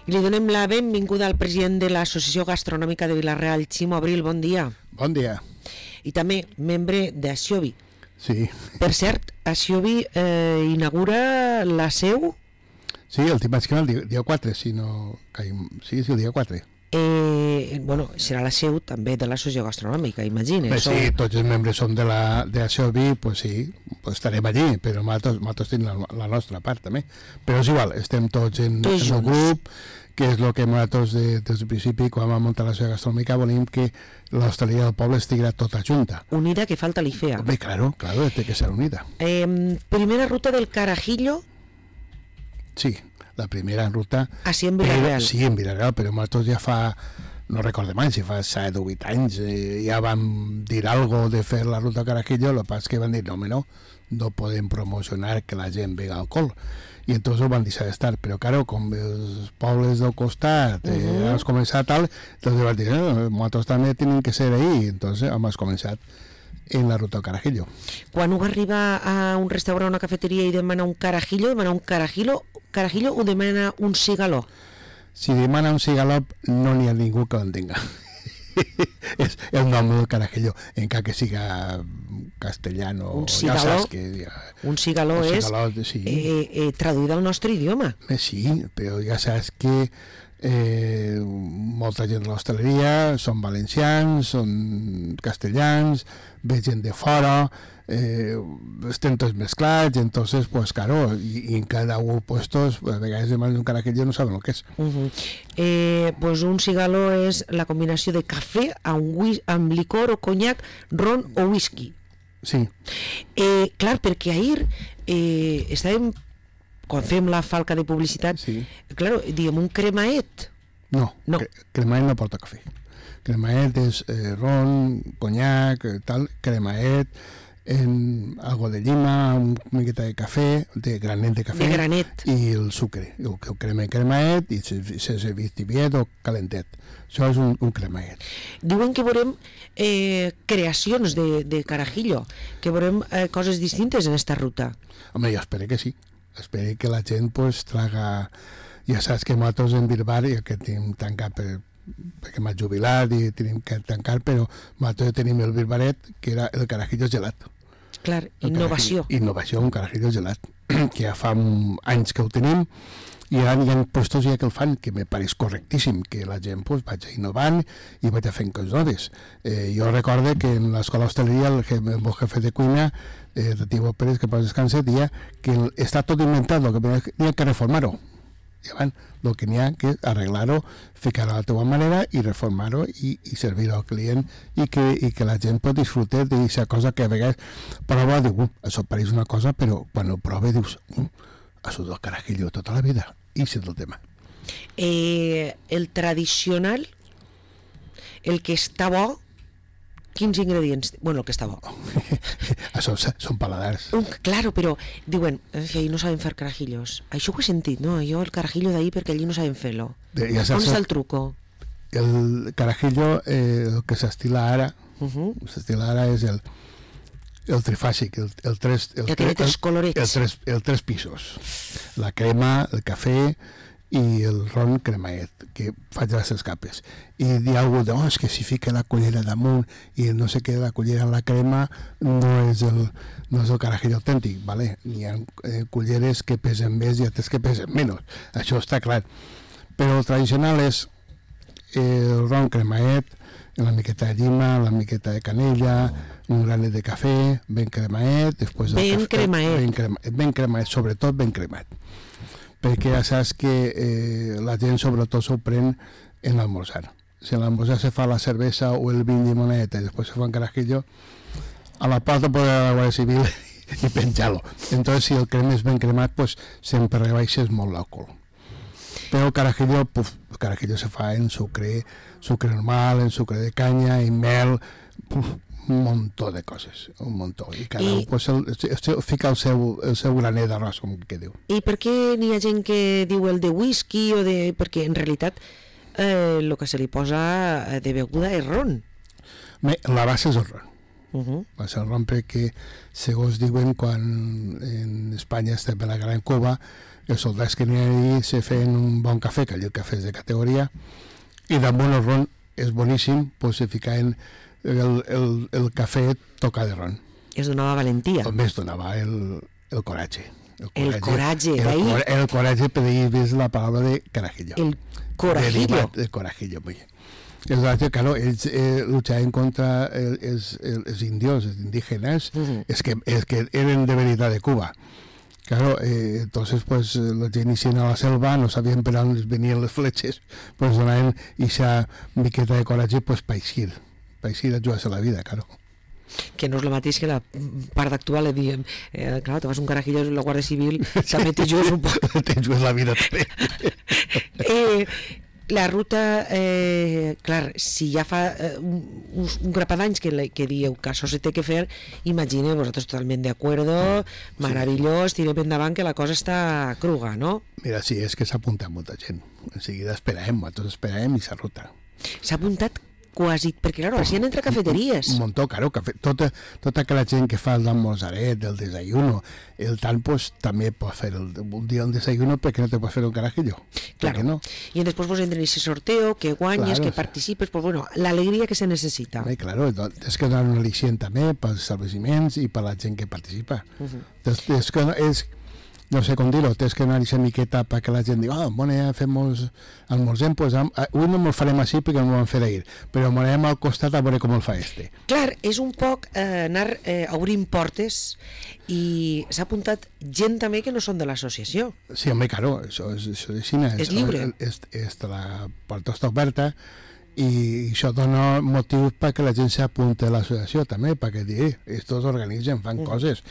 I li donem la benvinguda al president de l'Associació Gastronòmica de Vila-real, Ximo Abril, bon dia. Bon dia. I també membre d'Axiobi. Sí. Per cert, Axiobi inaugura la seu... Sí, el dimarts que el dia 4, si no caim... Sí, el dia 4. Bueno, serà la seu també de l'Associació Gastronòmica, imagina. Sí, tots els membres són de l'Axiobi, pues sí, pues estarem allí, però nosaltres tenim la nostra part també. Però és igual, estem tots en el grup, que és el que nosaltres des del principi, quan vam muntar l'Associació Gastronòmica, volíem que l'hostaleria del poble estigui tota junta. Unida, que falta li feia. Bé, claro, té que ser unida. Primera ruta del Carajillo. Sí, la primera ruta... Així en Vila-real. Sí, en Vila-real, però nosaltres ja fa... No recordem anys, si fa 7 o 8 anys ja vam dir algo de fer la ruta Carajillo, el que passa que van dir no podem promocionar que la gent bega alcohol, i entonces ho van deixar d'estar, però claro, com els pobles del costat has començat tal, entonces van dir nosaltres també tenim que ser ahí, entonces hem començat en la ruta Carajillo. Quan un arriba a un restaurant o una cafeteria i demana un Carajillo o demana un cigaló? Si demana un cigaló no n'hi ha ningú que l'entenga. És el nom del Carajillo, encara que siga castellano. Un cigaló, un cigaló és sí. Traduït al nostre idioma. Sí, però ja saps que molta gent de l'hostaleria són valencians, són castellans, ve gent de fora, estem tots mesclats, entonces pues claro, y en cada uno puestos a vegades demanen un Carajillo no saben el que és. Pues un cigaló és la combinació de cafè amb licor o conyac, ron o whisky. Sí. Clar, perquè ahir estàvem, quan fem la falca de publicitat, sí. Claro, diem un cremaet. No. Cremaet no porta cafè. Cremaet és ron, conyac, tal, cremaet, en algo de llima, una miqueta de cafè, de granet de cafè, i el sucre, el cremaet, i sense tibiet o calentet. Això és un cremaet. Diuen que veurem creacions de Carajillo, que veurem coses distintes en esta ruta. Home, jo espero que sí. Espero que la gent pues traga... Ja saps que nosaltres en Bilbar, ja que tenim tancat perquè m'ha jubilat i tenim que tancar, però nosaltres tenim el Bilbaret, que era el Carajillo gelat. Clar, innovació. Innovació, un Carajillo gelat, que ja fa anys que ho tenim, i ara hi ha puestos ja que el fan, que me pareix correctíssim, que la gent pues, vaig innovant i vaig fent coses noves. Jo recordo que en l'escola hostaleria el meu jefe de cuina, de Tibo Pérez, que pas descanse, dia que està tot inventat, el que n'hi ha que reformar-ho. I abans, el que n'hi ha que arreglar-ho, ficar-ho a la teva manera i reformar-ho i servir-ho al client i que la gent pot disfrutar d'aquesta cosa que a vegades prova, diu, això pareix una cosa, però quan ho prova dius, ha sigut el Carajillo tota la vida, i és el tema. El tradicional, el que està bo, quins ingredients? Bueno, el que està bo. Això són paladars. Claro, però diuen que allí no saben fer carajillos. Això ho he sentit, no? Jo el carajillo d'ahí perquè allí no saben fer-lo. On està el truco? El carajillo, el que s'estila ara, és el trifàsic, el tres colorets. El tres pisos. La crema, el cafè i el ron cremaet, que faig les escapes. I dir alguna cosa, és que si fica la cullera damunt i no sé què, la cullera en la crema no és el Carajillo autèntic, ¿vale? N'hi ha culleres que pesen més i altres que pesen menys, això està clar. Però el tradicional és el ron cremaet, una miqueta de llima, una miqueta de canella, un granet de cafè, ben cremaet, ben cremaet, sobretot ben cremaet. Perquè ja saps que la gent sobretot s'ho pren en l'almorzar. Si en l'almorzar se fa la cervesa o el vin llimoneta i després se fa un Carajillo, a la porta pot anar a la Guàrdia Civil i penjar-lo. Entonces, si el crem és ben cremat, pues, sempre rebaixes molt l'alcohol. Però el Carajillo se fa en sucre normal, en sucre de canya, en mel, un muntó de coses, un muntó. I cada un pues, fica el seu graner d'arròs, com que diu. I per què n'hi ha gent que diu el de whisky o de... Perquè en realitat el que se li posa de beguda és ron. La base és el ron. Va ser el ron perquè, segons diuen, quan en Espanya estem en la Gran Cuba, els soldats que n'hi ha allí se feien un bon cafè, que allí el cafè és de categoria, i damunt el ron és boníssim, doncs se ficaven el cafè tocat de ron. Es donava valentia. També es donava el coratge. El coratge, d'ahí... El coratge, per ahí ves la paraula de carajillo. El corajillo. El corajillo, muy bien. Es claro, ells luchaven contra els indios, els indígenas, es que eren de veritat de Cuba. Claro, entonces pues la gent ixien a la selva, no sabien per on venien les fletxes, pues donaven esa miqueta de coratge pues pa eixir a jugar-se la vida, claro. Que no és el mateix que la part actual, diem, clar, te vas un carajillo a la Guàrdia Civil, també te jugues un poc. Te jugues la vida també. La ruta, clar, si ja fa un grapat d'anys que dieu que això se té que fer, imagineu, vosaltres totalment d'acuerdo, meravellós, tirem endavant que la cosa està cruga, no? Mira, sí, és que s'ha apuntat molta gent. En seguida nosaltres esperàvem i s'ha ruta. S'ha apuntat quasi, perquè claro, així han entrat cafeteries. Un muntó, claro, tota aquella gent que fa el d'almorzaret, el desayuno, el tal, pues també pot fer un dia un desayuno perquè no te pots fer un carajillo. Claro, no? I després vos entren en aquest sorteo, que guanyes, que participes, pues bueno, l'alegria que se necessita. Claro, és que donar un al·licient també pels establiments i per la gent que participa. És que no sé com dir-ho, tens que anar a miqueta perquè la gent diu, bueno, ja almorzem, pues avui no me'l farem així perquè no me'l vam fer ahir, però m'anem al costat a veure com el fa este. Clar, és un poc anar obrint portes i s'ha apuntat gent també que no són de l'associació. Sí, home, claro, això és lliure. La porta està oberta i això dona motius perquè la gent s'apunti a l'associació també, perquè dir, estos organitzen, fan coses.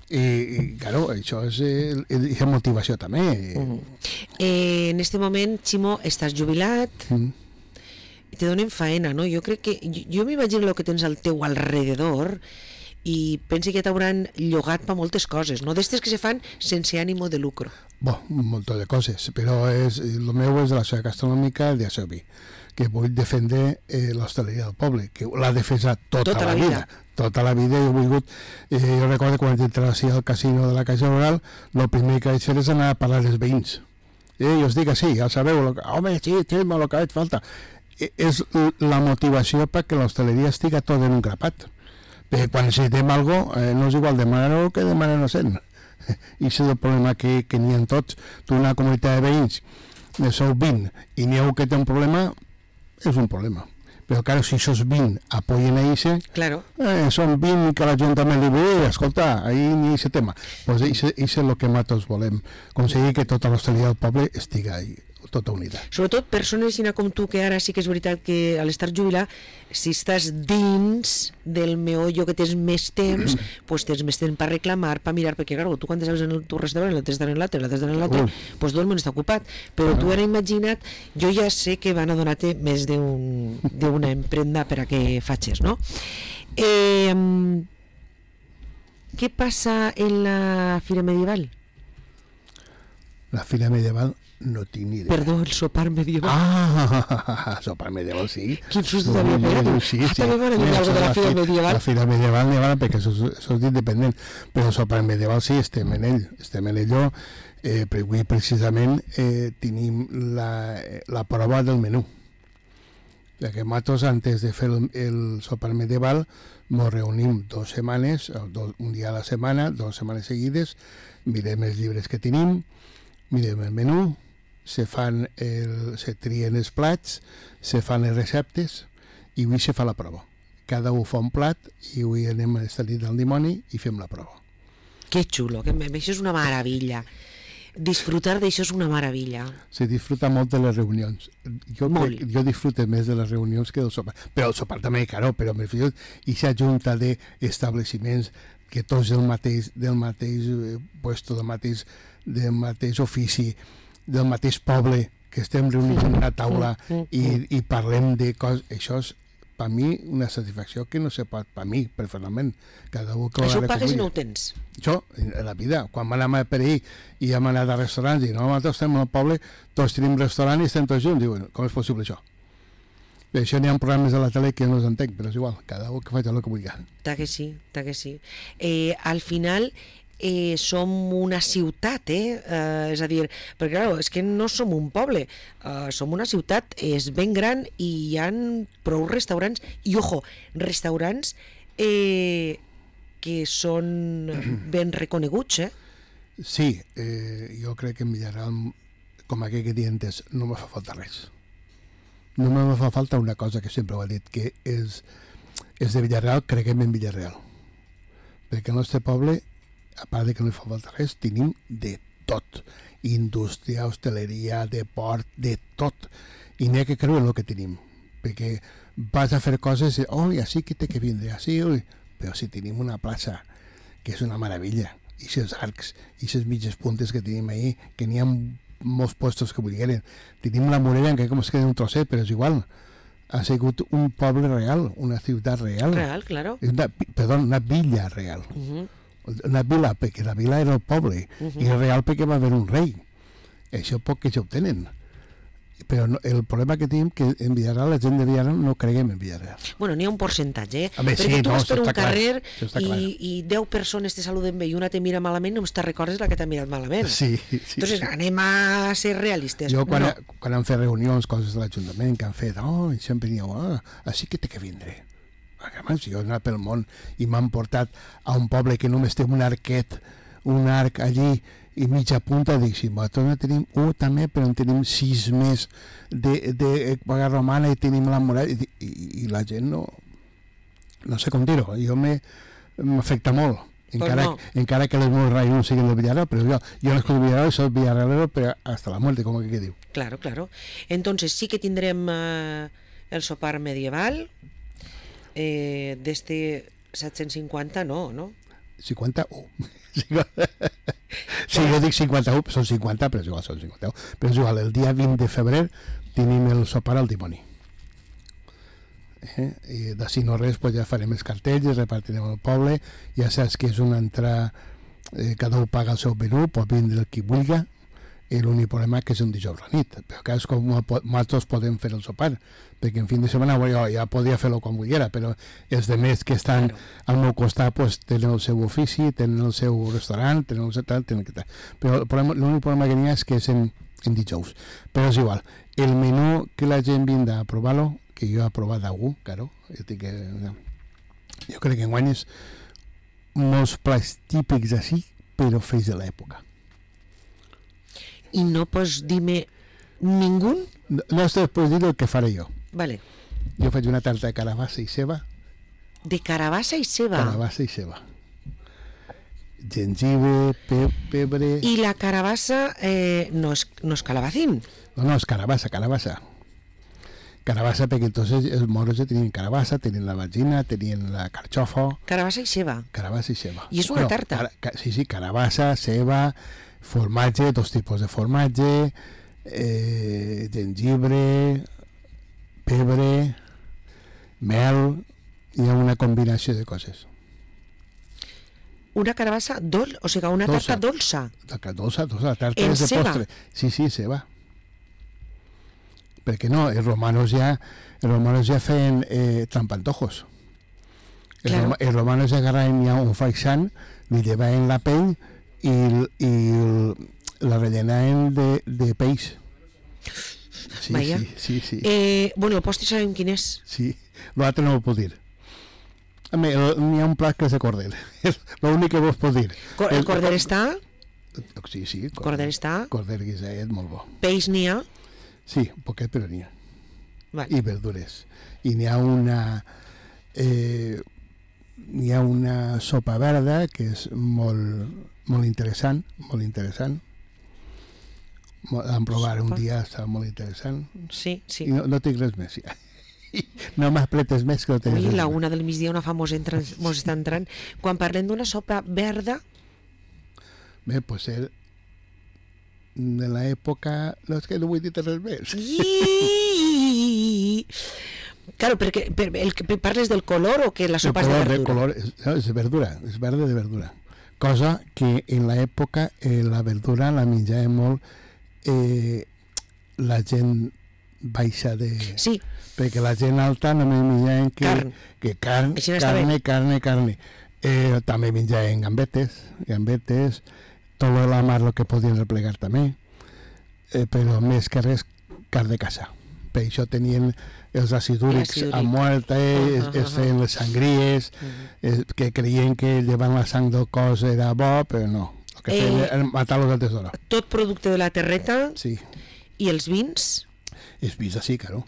I claro, això és la motivació també. En este moment, Ximo, estàs jubilat, te donen faena, no? Jo crec que, jo m'imagino el que tens al teu alrededor i penso que t'hauran llogat per moltes coses, no? D'estes que se fan sense ànimo de lucro. Un munt de coses, però el meu és de la societat gastronòmica de Asobi, que vull defendre l'hostaleria del poble, que l'ha defensat tota la vida. Tota la vida he volgut... jo recordo quan entrava al casino de la Caixa Rural, el primer que vaig fer és anar a parlar dels veïns. Jo us dic que sí, ja sabeu, home, sí, el que veig falta. És la motivació perquè l'hostaleria estiga tot en un grapat. Perquè quan necessitem alguna cosa, no és igual demanar-ho que demanar-ho sent. I és el problema que n'hi ha tots. Tu, una comunitat de veïns, sou 20 i n'hi ha un que té un problema, és un problema. Però, claro, si sos 20 apoyen a ICE, claro. Són 20 que l'Ajuntament li diu, escolta, ahí ni ese tema. Pues ICE és el que nosaltres volem, aconseguir que tota l'hostaleria del poble estigui ahí, tota unida. Sobretot persones com tu, que ara sí que és veritat que a l'estar jubilat, si estàs dins del meollo que tens més temps, pues tens més temps per reclamar, per mirar, perquè claro, tu quan te saps en el teu restaurant, l'altre està en l'altre, pues tot el món està ocupat, però tu ara imagina't, jo ja sé que van a donar-te més d'una emprenda per a que facis, no? Què passa en la Fira Medieval? La Fira Medieval no tinc ni idea. Perdó, el sopar medieval. Sopar medieval, sí. Quin susto t'havia pegat. Sí. També m'ha dit alguna de la Fira Medieval. La Fira Medieval n'hi ha perquè això és independent, però el sopar medieval sí, estem en ello, però avui precisament tenim la prova del menú. Que nosaltres, antes de fer el sopar medieval, ens reunim 2 setmanes, un dia a la setmana, 2 setmanes seguides, mirem els llibres que tenim, mirem el menú, se trien els plats, se fan les receptes i avui se fa la prova. Cada un fa un plat i avui anem a esta nit del dimoni i fem la prova. Que xulo, que això és una meravella. Disfrutar d'això és una meravella. Se disfruta molt de les reunions. Jo disfruto més de les reunions que del sopar. Però el sopar també, claro, però me refiero a aquesta junta d'establiments que tots del mateix puesto, del mateix ofici, del mateix poble, que estem reunits en una taula i parlem de coses. Això és, per mi, una satisfacció que no se pot, per mi, personalment. Això ho pagues i no ho tens? Això, en la vida. Quan vam anar per ahir i hem anat a restaurants i nosaltres estem al poble, tots tenim restaurant i estem tots junts. Diuen, com és possible això? Per això n'hi ha programes de la tele que no els entenc, però és igual, cada un que faci el que vulgui. Ta que sí, ta que sí. Al final som una ciutat, és a dir, perquè clar, és que no som un poble, som una ciutat, és ben gran i hi ha prou restaurants, i ojo, restaurants que són ben reconeguts, Sí, jo crec que en Villarreal, com aquell que diuen, no me fa falta res. No me fa falta una cosa que sempre ho he dit, que és de Villarreal, creguem en Villarreal. Perquè el nostre poble, a part de que no fa falta res, tenim de tot. Indústria, hostaleria, deport, de tot. I n'hi ha que creure el que tenim. Perquè vas a fer coses i, així que té que vindre, així, però si tenim una plaça, que és una meravella, i aquests arcs, i aquestes mitges puntes que tenim ahí, que n'hi ha molts puestos que volgueren. Tenim la Morella, encara com es queda un trosset, però és igual. Ha sigut un poble real, una ciutat real. Real, claro. Una villa real. Una vila, perquè la vila era el poble, i real perquè va haver un rei. Això poc que ja ho tenen. Però el problema que tenim que en Villarreal, la gent de Villarreal no creguem en Villarreal. Bueno, n'hi ha un percentatge, perquè tu vas per un carrer i 10 persones te saluden bé i una te mira malament, només te recordes la que t'ha mirat malament. Sí. Entonces, anem a ser realistes. Jo, quan han fet reunions, coses de l'Ajuntament, que han fet, i sempre diu, així que té que vindre. Si jo he anat pel món i m'han portat a un poble que només té un arquet, un arc allí, i mitja punta, dic, si nosaltres no tenim també, però en tenim 6 més d'època romana i tenim la muralla, i la gent no sé com dir-ho, jo m'afecta molt, encara que les meus raïons siguin de Villarreal, però jo no escolto Villarreal, soy villarrealero, però hasta la muerte, com que diu. Claro. Entonces sí que tindrem el sopar medieval, d'este 750, no? 51. Sí, jo dic 51, són 50, però és igual, són 51. Però és igual, el dia 20 de febrer tenim el sopar al dimoni. I d'ací no res, pues ja farem els cartells, repartirem al poble, ja saps que és una entrada, cada un paga el seu menú, pot vindre el qui vulgui, i l'únic problema que és un dijous a la nit, però que és com nosaltres podem fer el sopar, perquè en fin de setmana jo ja podria fer-lo com volguera, però els demés que estan al meu costat pues, tenen el seu ofici, tenen el seu restaurant, tenen el seu tal, però l'únic problema que n'hi ha és que és en dijous, però és igual, el menú que la gent vindrà a provar-lo, que jo he provat d'algú, claro, jo crec que enguany és molts plats típics així, però fets de l'època. I no pots dir-me ningú? No estàs pots dir el que faré jo. Vale. Jo faig una tarta de carabassa i ceba. De carabassa i ceba? Carabassa i ceba. Gengibre, pebre... I la carabassa no és calabacín? No, és carabassa. Carabassa perquè entonces els moros ja tenien carabassa, tenien la vagina, tenien la carxofa... Carabassa i ceba? Carabassa i ceba. I és una tarta? Sí, carabassa, ceba, formatge, 2 tipus de formatge, gengibre, pebre, mel, hi ha una combinació de coses. Una carabassa dolça, o sigui, una tarta dolça? Dolça, la tarta és de postre. Sí, ceba. Perquè no, els romanos ja feien trampantojos. Els romanos agarraven ja un faisán, li llevaven la pell i la rellenaven de peix. Sí. Bueno, el postre sabem quin és. Sí, l'altre no ho puc dir. N'hi ha un plat que és de corder. L'únic que vos puc dir. El corder està? Sí. Corder està? Corder guiset, molt bo. Peix n'hi ha? Sí, poquet, però n'hi ha. Vale. I verdures. I n'hi ha una sopa verda que és molt interessant. Vam provar un dia, estava molt interessant. Sí. I no tinc res més. No m'apretes més que no tens res més. La una del migdia una famosa mos està entrant. Quan parlem d'una sopa verda... Bé, pues de l'època... No, és que no vull dir res més. Claro, perquè parles del color o que la sopa és de verdura? El color és de verdura, és verde de verdura. Cosa que en l'època la verdura la menjava molt la gent baixa de... Sí. Perquè la gent alta només menjaven carne. També menjaven gambetes, tot la mar el que podien replegar també, però més que res carn de casa. Per això tenien els acidúrics a mort, es feien les sangries, que creien que llevant la sang del cos era bo, però no. El que feien era matar-los antes d'hora. Tot producte de la terreta? Sí. I els vins? Els vins, sí, claro.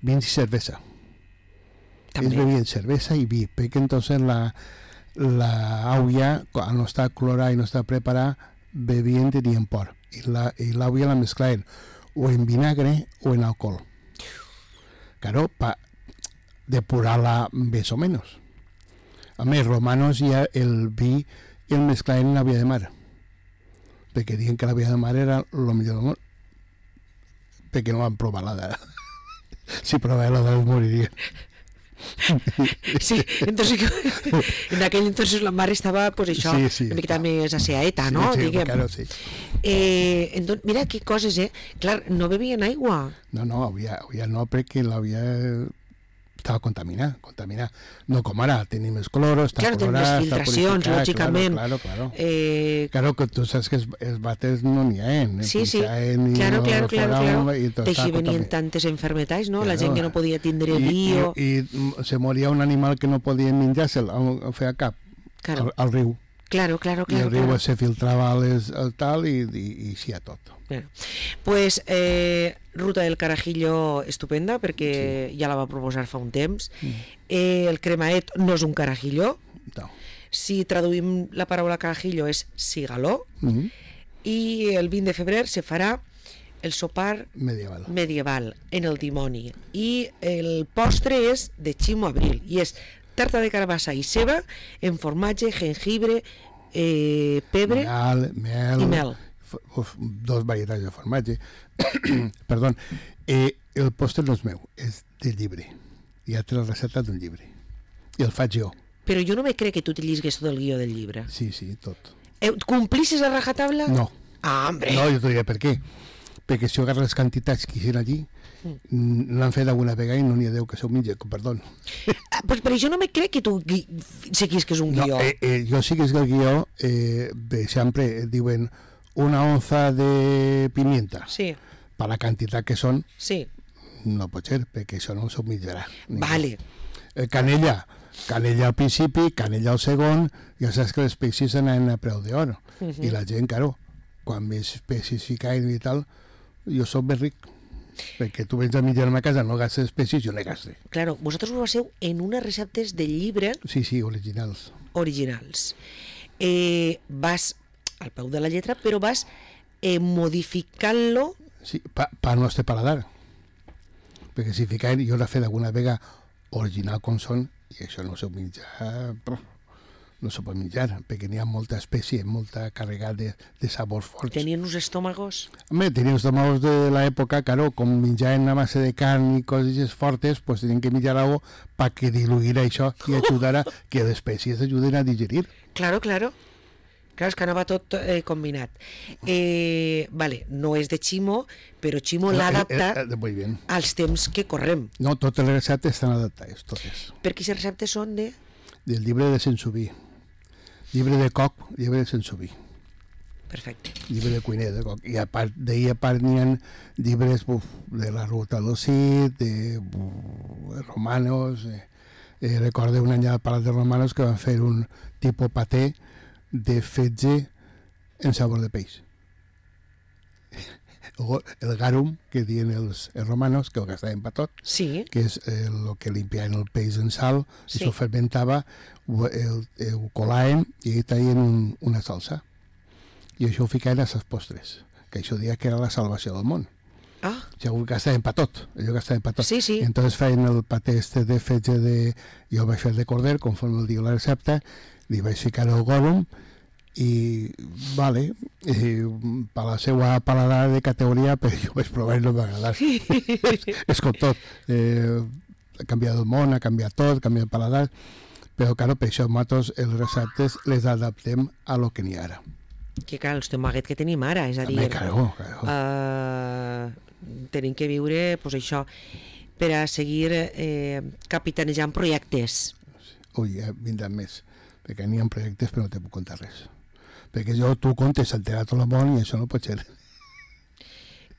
Vins y cerveza. También. Ellos bebían cerveza y vi, porque entonces la agua, al no estar clorada y no estar preparada, bebían tenían por. Y la agua la mezclaban o en vinagre o en alcohol. Claro, para depurarla más o menos. A més, romanos ya el vi el mezclaban en la vía de mar. Porque dijeron que la vía de mar era lo mejor del món. Porque no van provar la de... Si probaven la de los morirían. Sí, entonces en aquell entonces la mar estava pues això, una miqueta més asseaeta, no? Sí, claro, sí. Entonces, mira qué coses, clar, no bebien aigua. No, havia no, perquè l'havia estava contaminada. No com ara, tenim els cloros, està colorat, està filtracions, lògicament. Claro, que tu saps que els vàters no n'hi ha, Sí, claro. D'així venien tantes enfermetats, no? La gent que no podia tindre bio. I se moria un animal que no podia menjar-se'l, ho feia cap, al riu. Claro. I el riu se filtrava el tal i sí a tot. Bueno, pues Ruta del Carajillo estupenda, perquè ja la va proposar fa un temps. El cremaet no és un carajillo. No. Si traduïm la paraula carajillo és cigaló. I el 20 de febrer se farà el sopar medieval en el dimoni. I el postre és de Ximo Abril i és tarta de carabassa i ceba en formatge, jengibre, pebre i mel. Dos varietats de formatge. Perdó. El postre no és meu, és del llibre. Ja té la recepta d'un llibre. I el faig jo. Però jo no me crec que tu te llisgues tot el guió del llibre. Sí, tot. Complisses a rajatabla? No. Ah, hombre. No, jo t'ho diré per què. Perquè si jo agarro les quantitats que hi ha allí, l'han fet alguna vegada i no n'hi ha Déu que s'ho menja, perdó. Però jo no me crec que tu seguis que és un guió. Jo sí que és el guió, sempre diuen una onza de pimienta. Sí. Per la quantitat que són, sí. No pot ser, perquè això no s'ho menjarà. Vale. Canella al principi, canella al segon, ja saps que les espècies anaven a preu d'or. I la gent, claro, quan més espècies ficaven i tal, jo soc més ric. Perquè tu vens a menjar a ma casa, no gastes espècies, jo no gastes. Claro, vosaltres ho baseu en unes receptes del llibre... Sí, originals. Vas al peu de la lletra, però vas modificant-lo... Sí, per al nostre paladar. Perquè si ficaven, jo l'he fet alguna vegada original com són, i això no s'ho menjar... No s'ho pot menjar, perquè n'hi ha molta espècie, molta càrrega de sabors forts. Tenien uns estómagos? Home, tenien estómagos de l'època, claro, com menjaven a base de carn i coses fortes, pues tenien que menjar algo para que diluïra això i ajudara que les espècies ajuden a digerir. Claro. Claro, és que anava tot combinat. Vale, no és de Ximo, però Ximo l'ha adaptat als temps que correm. No, totes les receptes estan adaptades, totes. Per quines receptes són de...? Del llibre de Sensoví. Llibre de coc, llibre de Sensoví. Perfecte. Llibre de cuiner de coc. I a part n'hi ha llibres de la Ruta del Cid, de romanos. Recordo un any al Palau de Romanos que van fer un tipus paté de fetge en sabor de peix. El garum, que diuen els romanos, que ho gastaven per tot, sí. Que és el que limpiaven el peix en sal, sí. Això fermentava, ho colaven i ahí traien una salsa. I això ho ficaven a les postres, que això deia que era la salvació del món. Ja ho gastaven per tot, Sí. I entonces feien el paté de fetge de... Jo vaig fer de corder, conforme el diu la recepta, li vaig ficar el garum, i vale, per la seva paladar de categoria, però jo vaig provar i no m'ha agradat. És com tot, ha canviat el món, ha canviat tot, ha canviat el paladar, però claro, per això nosaltres els receptes les adaptem a lo que n'hi ha ara. Que clar, el tomaguet que tenim ara, és a dir, tenim que viure pues, això per a seguir capitanejant projectes. Ui, vindran més, perquè n'hi ha projectes però no te puc contar res. Perquè tu contes alterar tot el món i això no pot ser.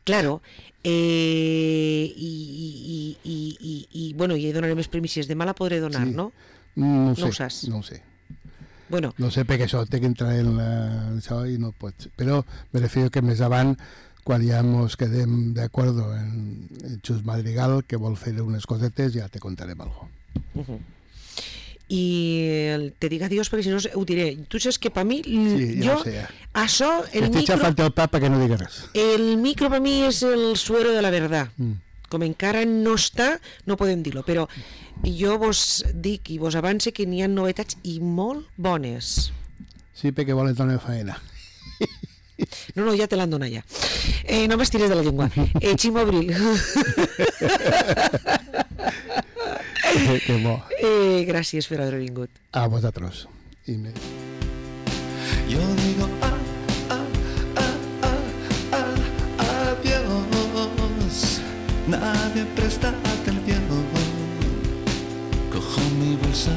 Claro, bueno, i donaré més premisses. Demà la podré donar, sí. No? No ho saps? No ho sé. Bueno. No sé perquè això té que entrar en això i no pot ser. Però me refiero que més avant, quan ja ens quedem d'acord en Xus Madrigal, que vol fer unes cosetes, ja te contarem alguna cosa. I te dic adiós perquè si no ho diré. Tu saps que per mi això, el micro... Estic xafant el pa perquè no digues res. El micro per mi és el suero de la verdad. Com encara no està, no podem dir-lo, però jo vos dic i vos avance que n'hi ha novetats i molt bones. Sí, perquè volen donar feina. No, ja te l'han donat ja. No m'estires de la llengua. Ximo Abril. Que bo. Gràcies per haver vingut. A vosaltres. Yo digo adiós. Nadie presta atención. Cojo mi bolsa